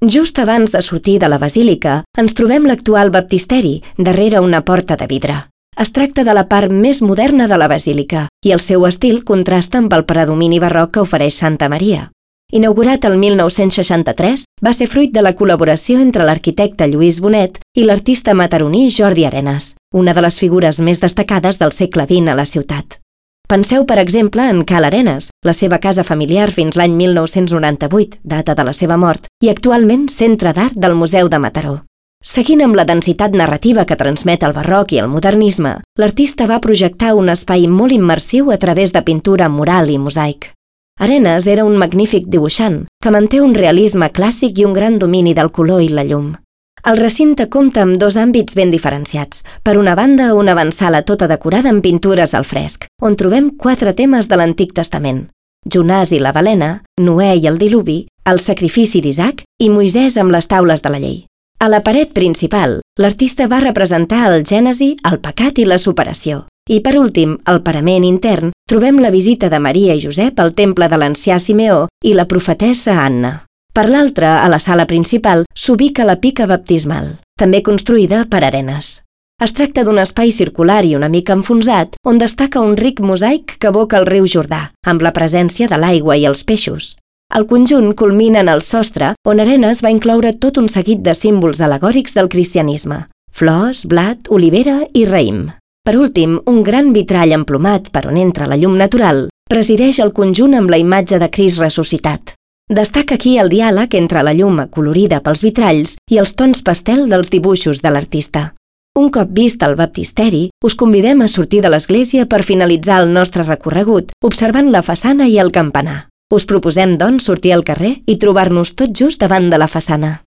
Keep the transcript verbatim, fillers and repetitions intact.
Just abans de sortir de la basílica, ens trobem l'actual baptisteri, darrere una porta de vidre. Es tracta de la part més moderna de la basílica i el seu estil contrasta amb el predomini barroc que ofereix Santa Maria. Inaugurat el mil nou-cents seixanta-tres, va ser fruit de la col·laboració entre l'arquitecte Lluís Bonet i l'artista mataroní Jordi Arenas, una de les figures més destacades del segle vint a la ciutat. Penseu, per exemple, en Cal Arenas, la seva casa familiar fins l'any mil nou-cents noranta-vuit, data de la seva mort, i actualment centre d'art del Museu de Mataró. Seguint amb la densitat narrativa que transmet el barroc i el modernisme, l'artista va projectar un espai molt immersiu a través de pintura mural i mosaic. Arenas era un magnífic dibuixant, que manté un realisme clàssic i un gran domini del color i la llum. El recinte compta amb dos àmbits ben diferenciats. Per una banda, una avantsala tota decorada amb pintures al fresc, on trobem quatre temes de l'Antic Testament: Jonàs i la balena, Noè i el diluvi, el sacrifici d'Isaac i Moisès amb les taules de la llei. A la paret principal, l'artista va representar el Gènesi, el pecat i la superació. I per últim, al parament intern, trobem la visita de Maria i Josep al temple de l'ancià Simeó i la profetessa Anna. Per l'altra, a la sala principal, s'ubica la pica baptismal, també construïda per Arenas. Es tracta d'un espai circular i una mica enfonsat, on destaca un ric mosaic que evoca el riu Jordà, amb la presència de l'aigua i els peixos. El conjunt culmina en el sostre, on Arenas va incloure tot un seguit de símbols al·legòrics del cristianisme: flors, blat, olivera i raïm. Per últim, un gran vitrall emplomat per on entra la llum natural presideix el conjunt amb la imatge de Crist ressuscitat. Destaca aquí el diàleg entre la llum acolorida pels vitralls i els tons pastel dels dibuixos de l'artista. Un cop vist el baptisteri, us convidem a sortir de l'església per finalitzar el nostre recorregut observant la façana i el campanar. Us proposem, doncs, sortir al carrer i trobar-nos tot just davant de la façana.